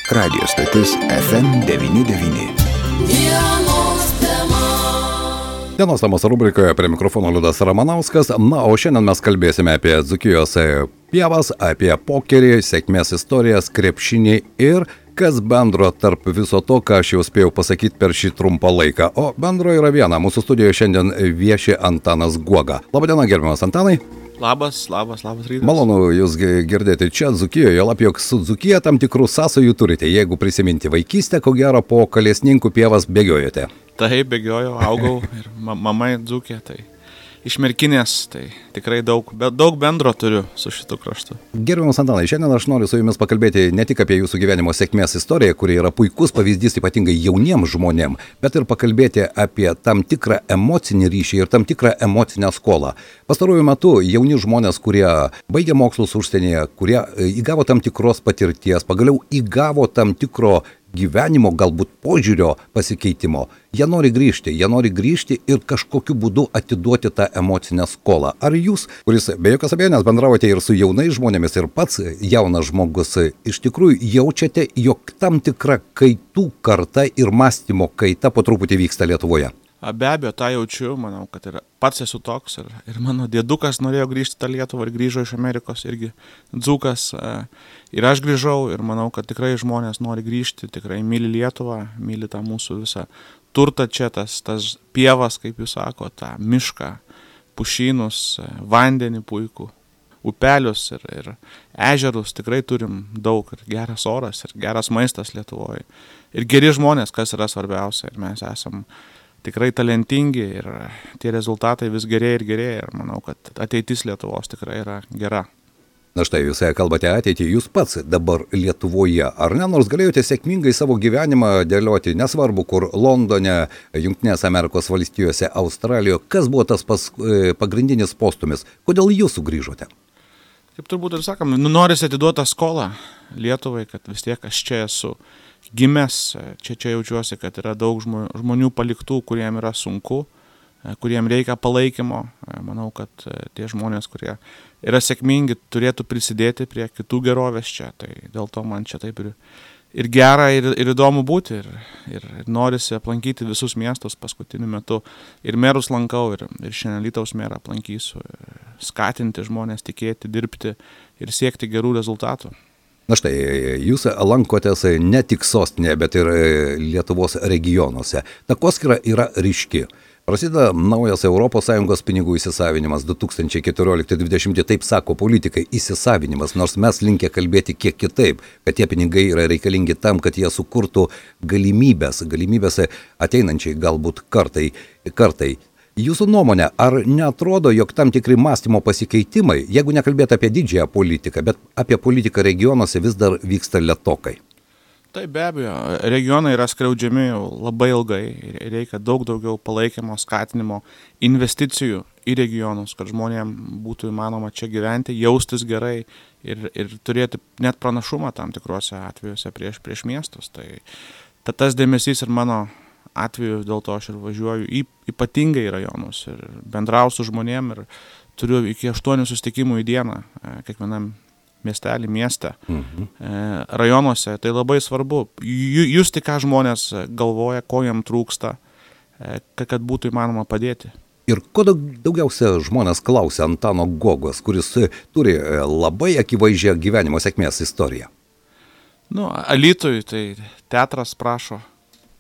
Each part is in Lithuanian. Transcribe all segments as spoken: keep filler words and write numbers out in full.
Radio stotis F M devyni devyni. Dienos temos rubrikoje prie mikrofono Liudas Ramanauskas. Na, o šiandien mes kalbėsime apie Dzūkijos pievas, apie pokerį, sėkmės istorijas, krepšinį ir kas bendro tarp viso to, ką aš jau spėjau pasakyti per šį trumpą laiką. O bendro yra viena. Mūsų studijoje šiandien vieši Antanas Guoga. Labadiena, gerbiamas Antanai. Labas, labas, labas rytas. Malonu jūs girdėti čia Dzūkijoje, lab jog su Dzūkija tam tikrų sąsajų turite. Jeigu prisiminti vaikystę, ko gero po Kalesninkų pievas bėgiojote. Taip, bėgiojau, augau ir mama Dzūkija, tai iš Merkinės, tai tikrai daug, bet daug bendro turiu su šitu kraštu. Gerbiamas Antanai, šiandien aš noriu su jumis pakalbėti ne tik apie jūsų gyvenimo sėkmės istoriją, kuri yra puikus pavyzdys ypatingai jauniems žmonėms, bet ir pakalbėti apie tam tikrą emocinį ryšį ir tam tikrą emocinę skolą. Pastaruoju metu jauni žmonės, kurie baigė mokslus užsienyje, kurie įgavo tam tikros patirties, pagaliau įgavo tam tikro gyvenimo, galbūt požiūrio pasikeitimo, jie nori grįžti, jie nori grįžti ir kažkokiu būdu atiduoti tą emocinę skolą. Ar jūs, kuris be jokios abejonės bendravote ir su jaunais žmonėmis ir pats jaunas žmogus, iš tikrųjų jaučiate, jog tam tikra kaitų karta ir mąstymo kaita po truputį vyksta Lietuvoje? Be abejo, tą jaučiu, manau, kad ir pats esu toks ir, ir mano dėdukas norėjo grįžti tą Lietuvą ir grįžo iš Amerikos, irgi dzūkas. Ir aš grįžau ir manau, kad tikrai žmonės nori grįžti, tikrai myli Lietuvą, myli tą mūsų visą turtą čia, tas, tas pievas, kaip jūs sako, tą mišką, pušynus, vandenį puikų, upelius ir, ir ežerus, tikrai turim daug ir geras oras ir geras maistas Lietuvoje. Ir geri žmonės, kas yra svarbiausia, ir mes esam tikrai talentingi ir tie rezultatai vis gerėja ir gerėja ir manau, kad ateitis Lietuvos tikrai yra gera. Na štai, jūs kalbate ateitį, jūs pats dabar Lietuvoje, ar ne, nors galėjote sėkmingai savo gyvenimą dėlioti, nesvarbu kur, Londone, Jungtinės Amerikos valstijose, Australijoje, kas buvo tas pas, pagrindinis postumis, kodėl jūs sugrįžote? Kaip turbūt ir sakom, nu, norisi atiduoti skolą Lietuvai, kad vis tiek aš čia esu gimęs, čia čia jaučiuosi, kad yra daug žmonių paliktų, kuriem yra sunku, kuriem reikia palaikymo. Manau, kad tie žmonės, kurie yra sėkmingi, turėtų prisidėti prie kitų gerovės čia. Tai dėl to man čia taip ir, ir gera, ir, ir įdomu būti. Ir, ir norisi aplankyti visus miestus paskutiniu metu. Ir merus lankau, ir, ir šiandien Alytaus merą aplankysiu. Skatinti žmonės tikėti, dirbti ir siekti gerų rezultatų. Na štai, jūs lankotės ne tik sostinėje, bet ir Lietuvos regionuose. Takoskyra yra ryški. Prasideda naujas Europos Sąjungos pinigų įsisavinimas du tūkstančiai keturiolikti dvidešimti, taip sako politikai, įsisavinimas, nors mes linkę kalbėti kiek kitaip, kad tie pinigai yra reikalingi tam, kad jie sukurtų galimybės, galimybės ateinančiai galbūt kartai, kartai. Jūsų nuomonė, ar neatrodo, jog tam tikri mąstymo pasikeitimai, jeigu nekalbėti apie didžiąją politiką, bet apie politiką regionuose vis dar vyksta lėtokai? Taip, be abejo, regionai yra skriaudžiami jau labai ilgai ir reikia daug daugiau palaikymo, skatinimo, investicijų į regionus, kad žmonėm būtų įmanoma čia gyventi, jaustis gerai ir, ir turėti net pranašumą tam tikrose atvejuose prieš, prieš miestus. Tai tas dėmesys ir mano atveju, dėl to aš ir važiuoju į ypatingai rajonus ir bendrausiu žmonėm ir turiu iki aštuonių susitikimų į dieną kiekvienam miestelį, mieste, mhm. rajonuose. Tai labai svarbu. Jūs tik ką žmonės galvoja, ko jam trūksta, kad būtų įmanoma padėti. Ir ko daugiausia žmonės klausia Antano Guogos, kuris turi labai akivaizdžią gyvenimo sėkmės istoriją? Nu, Alytui tai teatras prašo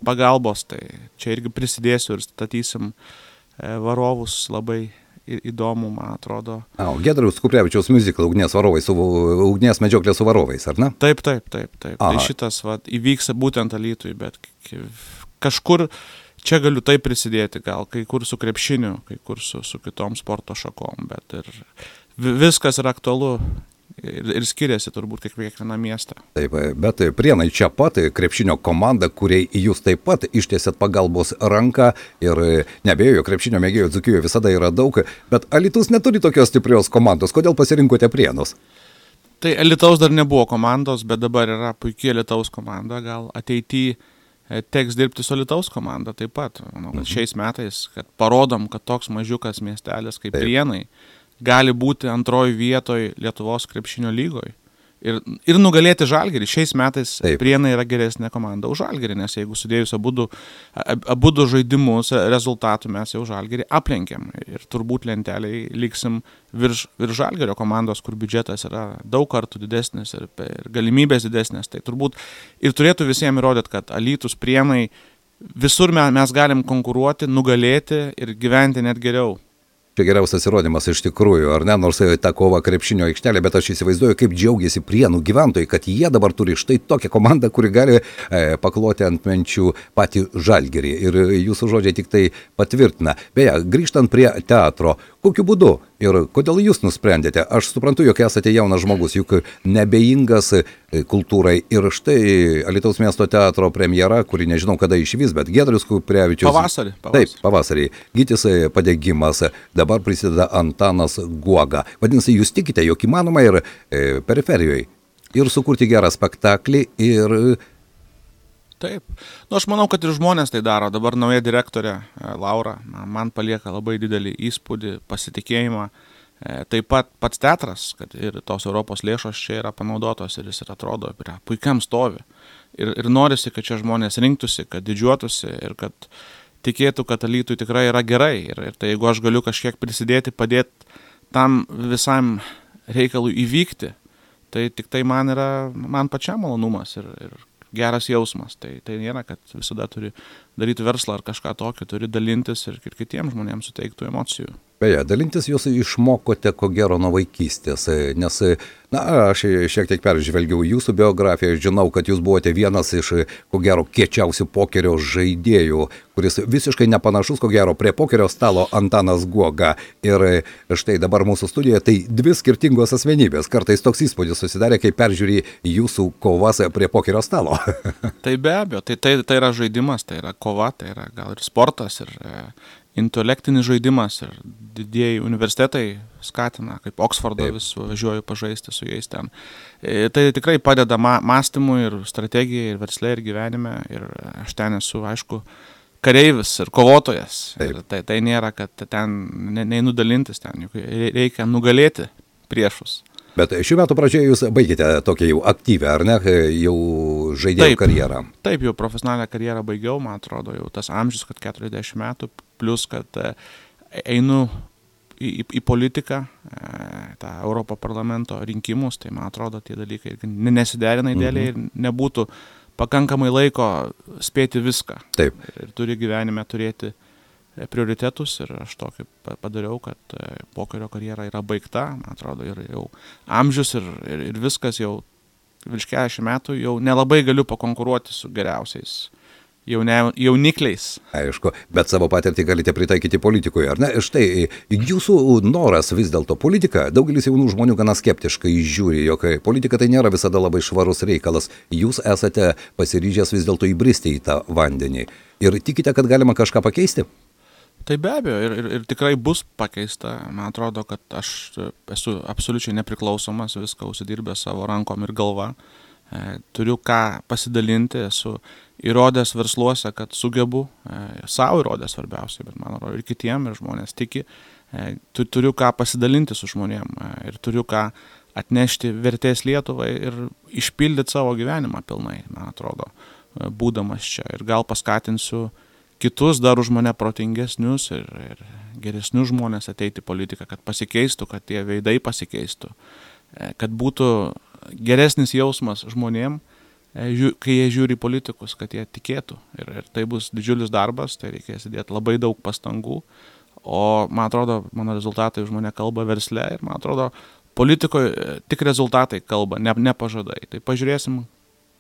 pagalbos, tai čia irgi prisidėsiu ir statysim varovus labai įdomu, man atrodo. A, Giedriaus Kuprevičiaus miuziklą Ugnies varovai, su, Ugnies medžioklė su varovais, ar ne? Taip, taip, taip, taip. Aha. Tai šitas va, įvyks būtent Alytui, bet kažkur čia galiu taip prisidėti, gal kai kur su krepšiniu, kai kur su, su kitom sporto šakom, bet ir viskas yra aktualu. Ir, ir skiriasi turbūt kiekvieną miestą. Taip, bet Prienai čia pat, krepšinio komanda, kuriai jūs taip pat ištiesėt pagalbos ranką ir neabejoju, krepšinio mėgėjų Dzūkijoje visada yra daug, bet Alytus neturi tokios stiprios komandos. Kodėl pasirinkote Prienus? Tai Alytaus dar nebuvo komandos, bet dabar yra puikiai Alytaus komanda. Gal ateityje teks dirbti su Alytaus komanda taip pat. Manau, kad šiais metais, kad parodom, kad toks mažiukas miestelis kaip taip. Prienai gali būti antroji vietoj Lietuvos krepšinio lygoje. ir, ir nugalėti Žalgirį. Šiais metais Taip. Prienai yra geresnė komanda už Žalgirį, nes jeigu sudėjus abudu, abudu žaidimus rezultatų mes jau Žalgirį aplenkėm ir turbūt lenteliai liksim virš, virš Žalgirio komandos, kur biudžetas yra daug kartų didesnis ir, ir galimybės didesnės. Tai turbūt ir turėtų visiems įrodyti, kad Alytus, Prienai, visur mes galim konkuruoti, nugalėti ir gyventi net geriau. Čia geriausias įrodymas iš tikrųjų, ar ne, nors ta kova krepšinio aikštelė, bet aš įsivaizduoju, kaip džiaugiasi Prienų gyventojai, kad jie dabar turi štai tokią komandą, kuri gali e, pakloti ant menčių patį Žalgirį. Ir jūsų žodžiai tik tai patvirtina. Beje, grįžtant prie teatro, kokiu būdu ir kodėl jūs nusprendėte? Aš suprantu, jog esate jaunas žmogus, juk nebeingas kultūrai. Ir štai Alytaus miesto teatro premjera, kuri nežinau kada išvys, bet Giedrius Kuprevičius. Pavasarį. pavasarį. Taip, pavasarį. Gytis Padegimas, dabar prisideda Antanas Guoga. Vadinasi, jūs tikite, jog įmanoma ir e, periferijoje ir sukurti gerą spektaklį ir... Taip. Nu, aš manau, kad ir žmonės tai daro. Dabar nauja direktorė Laura man palieka labai didelį įspūdį, pasitikėjimą. Taip pat pats teatras, kad ir tos Europos lėšos čia yra panaudotos ir jis ir atrodo yra puikiam stovi. Ir, ir norisi, kad čia žmonės rinktųsi, kad didžiuotųsi ir kad tikėtų, kad Alytui tikrai yra gerai. Ir, ir tai jeigu aš galiu kažkiek prisidėti, padėti tam visam reikalui įvykti, tai tik tai man yra, man pačiam malonumas ir, ir geras jausmas. Tai, tai nėra, kad visada turi daryti verslą ar kažką tokio, turi dalintis ir, ir kitiems žmonėms suteiktų emocijų. Beje, dalintis jūs išmokote ko gero nuo vaikystės, nes, na, aš šiek tiek peržvelgiau jūsų biografiją, žinau, kad jūs buvote vienas iš ko gero kiečiausių pokerio žaidėjų, kuris visiškai nepanašus ko gero prie pokerio stalo Antanas Guoga. Ir štai dabar mūsų studijoje tai dvi skirtingos asmenybės. Kartais toks įspūdis susidarė, kai peržiūri jūsų kovas prie pokerio stalo. Tai be abejo, tai, tai, tai yra žaidimas, tai yra kova, tai yra gal ir sportas, ir e, intelektinis žaidimas, ir didieji universitetai skatina, kaip Oksfordo vis važiuoju pažaisti su jais ten. E, tai tikrai padeda ma mąstymui ir strategijai, ir versle, ir gyvenime, ir aš ten esu, aišku, kareivis ir kovotojas. Ir tai, tai nėra, kad ten ne, neįnudalintis ten, juk reikia nugalėti priešus. Bet šių metų pradžioje jūs baigėte tokią jau aktyvę, ar ne, jau žaidėjų taip, karjerą? Taip, jau profesionalią karjerą baigiau, man atrodo, jau tas amžius, kad keturiasdešimt metų, plus, kad einu į, į, į politiką, tą Europo parlamento rinkimus, tai man atrodo, tie dalykai nesiderina idealiai ir nebūtų pakankamai laiko spėti viską. Taip. Ir, ir turi gyvenime turėti prioritetus ir aš tokį padariau, kad pokerio karjera yra baigta, man atrodo, ir jau amžius ir, ir, ir viskas jau virš keturiasdešimt metų, jau nelabai galiu pakonkuruoti su geriausiais jaune, jaunikliais. Aišku, bet savo patirtį galite pritaikyti politikoje, ar ne? Štai, jūsų noras vis dėlto politika, daugelis jaunų žmonių gana skeptiškai žiūri, jog politika tai nėra visada labai švarus reikalas. Jūs esate pasiryžęs vis dėlto įbristi į tą vandenį ir tikite, kad galima kažką pakeisti? Tai be abejo, ir, ir, ir tikrai bus pakeista. Man atrodo, kad aš esu absoliučiai nepriklausomas, viską užsidirbęs savo rankom ir galva. E, turiu ką pasidalinti, esu įrodęs versluose, kad sugebu, e, savo įrodęs svarbiausiai, bet man atrodo ir kitiem, ir žmonės tiki. E, tu, turiu ką pasidalinti su žmonėm e, ir turiu ką atnešti vertės Lietuvai ir išpildyti savo gyvenimą pilnai, man atrodo, e, būdamas čia. Ir gal paskatinsiu kitus dar už mane protingesnius ir, ir geresnius žmonės ateiti į politiką, kad pasikeistų, kad tie veidai pasikeistų, kad būtų geresnis jausmas žmonėm, kai jie žiūri politikus, kad jie tikėtų. Ir, ir tai bus didžiulis darbas, tai reikės įdėti labai daug pastangų, o man atrodo, mano rezultatai už mane kalba versle ir man atrodo, politikoje tik rezultatai kalba, ne, ne pažadai. Tai pažiūrėsim,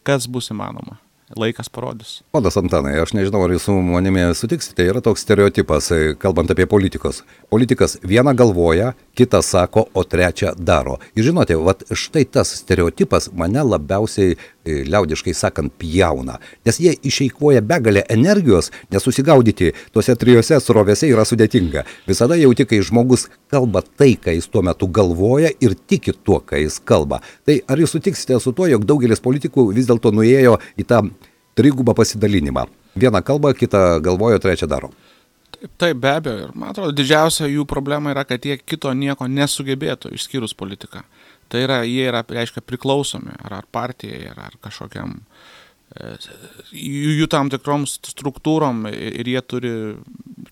kas bus įmanoma. Laikas parodys. Ponas Antanai, aš nežinau, ar jūs su manimi sutiksite, yra toks stereotipas, kalbant apie politikos. Politikas vieną galvoja, kitą sako, o trečią daro. Ir žinote, vat štai tas stereotipas mane labiausiai, liaudiškai sakant, pjauna. Nes jie išeikvoja begalę energijos, nes susigaudyti tuose trijose srovėse yra sudėtinga. Visada jauti, kai žmogus kalba tai, ką jis tuo metu galvoja ir tiki tuo, ką jis kalba. Tai ar jūs sutiksite su to, jog daugelis politikų vis dėlto nuėjo į tą trigubą pasidalinimą? Vieną kalbą, kitą galvojo, trečią daro. Taip, taip, be abejo. Ir man atrodo, didžiausia jų problema yra, kad jie kito nieko nesugebėtų, išskyrus politiką. Tai yra, jie yra, reiškia, priklausomi ar, ar partijai, ar, ar kažkokiam jų, jų tam tikrom struktūrom ir jie turi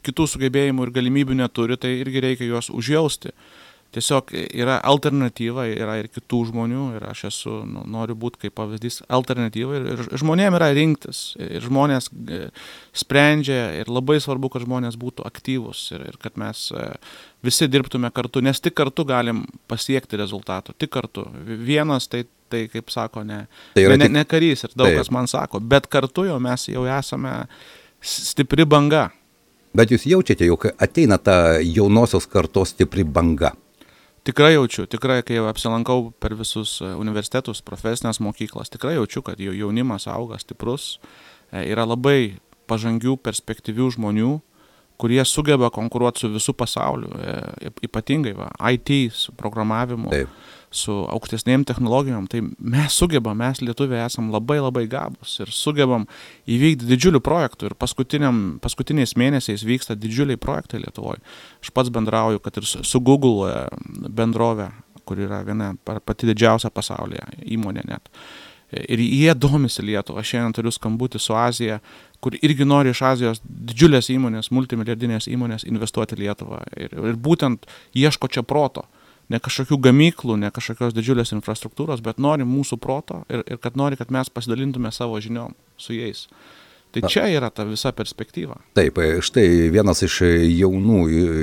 kitų sugebėjimų ir galimybių neturi, tai irgi reikia juos užjausti. Tiesiog yra alternatyva, yra ir kitų žmonių ir aš esu, nu, noriu būti kaip pavyzdys alternatyva ir, ir žmonėm yra rinktis ir žmonės sprendžia ir labai svarbu, kad žmonės būtų aktyvus ir, ir kad mes visi dirbtume kartu, nes tik kartu galim pasiekti rezultatų, tik kartu. Vienas tai, tai kaip sako, ne, tai ne, tik... ne karys ir daug taip. Kas man sako, bet kartu jau mes jau esame stipri banga. Bet jūs jaučiate, jog ateina ta jaunosios kartos stipri banga? Tikrai jaučiu, tikrai, kai apsilankau per visus universitetus, profesinės mokyklas, tikrai jaučiu, kad jaunimas auga stiprus, yra labai pažangių, perspektyvių žmonių, kurie sugeba konkuruoti su visų pasauliu, ypatingai va, I T, su programavimu, taip. Su aukštesnėm technologijom, tai mes sugebam, mes lietuviai esam labai labai gabus ir sugebam įvykdyti didžiulių projektų ir paskutiniais mėnesiais vyksta didžiuliai projektai Lietuvoje. Aš pats bendrauju, kad ir su Google bendrovė, kur yra viena pati didžiausia pasaulyje įmonė net. Ir jie domisi Lietuvą. Aš šiandien turiu skambutį su Azija, kur irgi nori iš Azijos didžiulės įmonės, multimilijardinės įmonės investuoti Lietuvą. Ir, ir būtent ieško čia proto. Ne kažkokių gamyklų, ne kažkokios didžiulės infrastruktūros, bet nori mūsų proto ir, ir kad nori, kad mes pasidalintume savo žiniom su jais. Tai čia yra ta visa perspektyva. Taip, štai vienas iš jaunų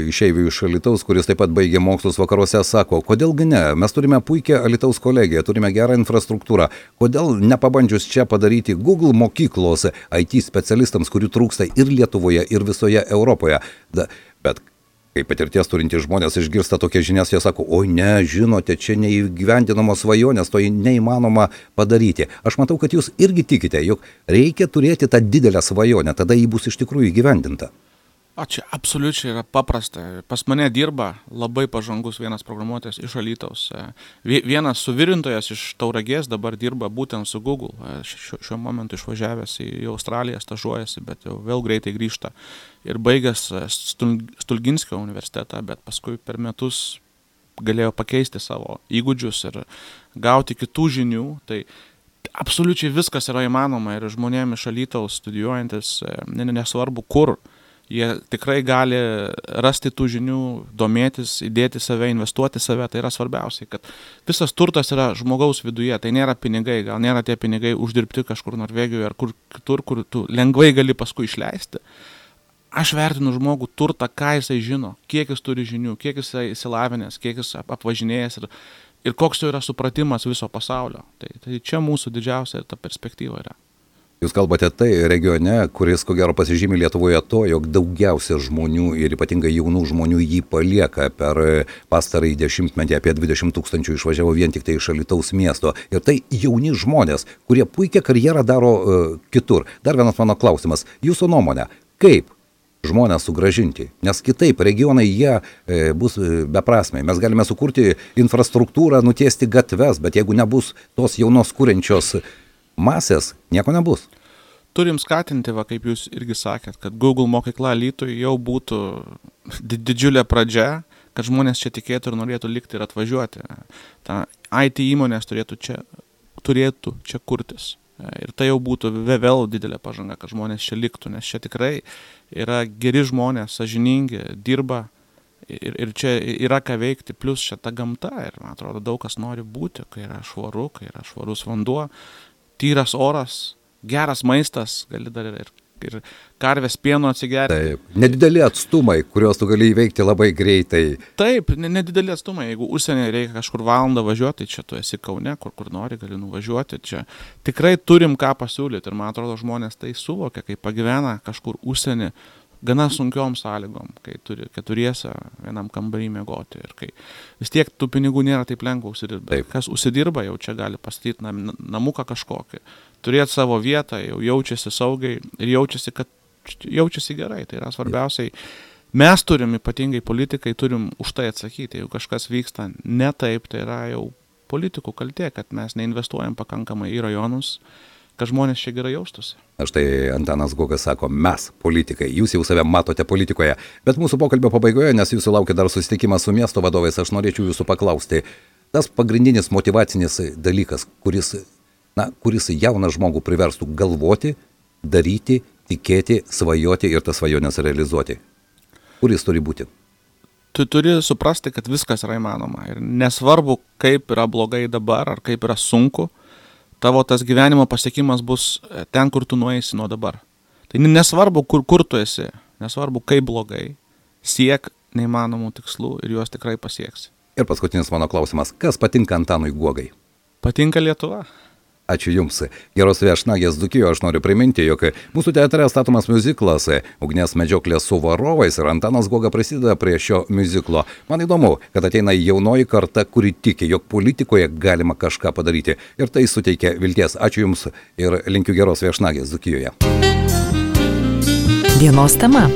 išeivių iš Alytaus, kuris taip pat baigė mokslus vakaruose, sako, kodėlgi ne, mes turime puikią Alytaus kolegiją, turime gerą infrastruktūrą, kodėl nepabandžius čia padaryti Google mokyklos I T specialistams, kurių trūksta ir Lietuvoje, ir visoje Europoje. Da, bet kaip patirties turintys žmonės išgirsta tokias žinias, jie sako, oi ne, žinote, čia neįgyvendinamos svajonės, to neįmanoma padaryti. Aš matau, kad jūs irgi tikite, jog reikia turėti tą didelę svajonę, tada jį bus iš tikrųjų įgyvendinta. O čia absoliučiai yra paprasta. Pas mane dirba labai pažangus vienas programuotojas iš Alytaus. Vienas suvirintojas iš Tauragės dabar dirba būtent su Google. Šiuo, šiuo momentu išvažiavęs į Australiją, stažuojasi, bet jau vėl greitai grįžta. Ir baigęs Stulginskio universitetą, bet paskui per metus galėjo pakeisti savo įgūdžius ir gauti kitų žinių. Tai absoliučiai viskas yra įmanoma ir žmonėm iš Alytaus studijuojantis, nesvarbu kur, jie tikrai gali rasti tų žinių, domėtis, įdėti save, investuoti save, tai yra svarbiausiai, kad visas turtas yra žmogaus viduje, tai nėra pinigai, gal nėra tie pinigai uždirbti kažkur Norvegijoje ar kur kitur, kur tu lengvai gali paskui išleisti. Aš vertinu žmogų turtą, ką jisai žino, kiek jis turi žinių, kiek jisai įsilavinęs, kiek jis apvažinėjęs ir, ir koks jo yra supratimas viso pasaulio. Tai, tai čia mūsų didžiausia ta perspektyva yra. Jūs kalbate tai regione, kuris ko gero pasižymi Lietuvoje to, jog daugiausia žmonių ir ypatingai jaunų žmonių jį palieka. Per pastarąjį dešimtmetį apie dvidešimt tūkstančių išvažiavo vien tik tai iš Alytaus miesto. Ir tai jauni žmonės, kurie puikią karjerą daro uh, kitur. Dar vienas mano klausimas. Jūsų nuomonė, kaip žmonės sugrąžinti? Nes kitaip regionai jie e, bus beprasmiai. Mes galime sukurti infrastruktūrą, nutiesti gatves, bet jeigu nebus tos jaunos kuriančios masės, nieko nebus. Turim skatinti, va, kaip jūs irgi sakėt, kad Google mokykla Alytuje jau būtų didžiulė pradžia, kad žmonės čia tikėtų ir norėtų likti ir atvažiuoti. Ta I T įmonės turėtų čia, turėtų čia kurtis. Ir tai jau būtų vėl didelė pažanga, kad žmonės čia liktų, nes čia tikrai yra geri žmonės, sąžiningi, dirba ir, ir čia yra ką veikti, plus čia ta gamta ir, man atrodo, daug kas nori būti, kai yra švaru, kai yra švarus vanduo, tyras oras, geras maistas, gali dar ir, ir karvės pieno atsigerti. Taip, nedideli atstumai, kuriuos tu gali įveikti labai greitai. Taip, nedideli atstumai, jeigu užsienį reikia kažkur valandą važiuoti, tai čia tu esi Kaune, kur, kur nori, gali nuvažiuoti. Čia tikrai turim ką pasiūlyti ir man atrodo žmonės tai suvokia, kai pagyvena kažkur užsienį, gana sunkiom sąlygom, kai turi keturiese vienam kambarį miegoti ir kai vis tiek tų pinigų nėra taip lengva užsidirbti. Kas užsidirba, jau čia gali pastatyti nam, namuką kažkokį, turėti savo vietą, jau jaučiasi saugiai ir jaučiasi, kad jaučiasi gerai. Tai yra svarbiausiai. Mes turim, ypatingai politikai, turim už tai atsakyti. Jeigu kažkas vyksta ne taip, tai yra jau politikų kaltė, kad mes neinvestuojam pakankamai į rajonus, kad žmonės čia gerai jaustųsi. Štai Antanas Guogas sako, mes politikai, jūs jau save matote politikoje, bet mūsų pokalbio pabaigoje, nes jūsų laukia dar susitikimas su miesto vadovais, aš norėčiau jūsų paklausti, tas pagrindinis motyvacinis dalykas, kuris, na, kuris jauną žmogų priverstų galvoti, daryti, tikėti, svajoti ir tas svajonės realizuoti. Kur jis turi būti? Tu turi suprasti, kad viskas yra įmanoma. Ir nesvarbu, kaip yra blogai dabar, ar kaip yra sunku, tavo tas gyvenimo pasiekimas bus ten, kur tu nueisi nuo dabar. Tai nesvarbu, kur, kur tu esi, nesvarbu, kaip blogai, siek neįmanomų tikslų ir juos tikrai pasieksi. Ir paskutinis mano klausimas, kas patinka Antanui Guogai? Patinka Lietuva. Ačiū Jums. Geros viešnagės Dzūkijoje. Aš noriu priminti, jog mūsų teatre statomas miuziklas Ugnies medžioklė su varovais ir Antanas Guoga prisideda prie šio miuziklo. Man įdomu, kad ateina jaunoji karta, kuri tiki, jog politikoje galima kažką padaryti. Ir tai suteikia vilties. Ačiū Jums ir linkiu geros viešnagės Dzūkijoje. Dienos tema.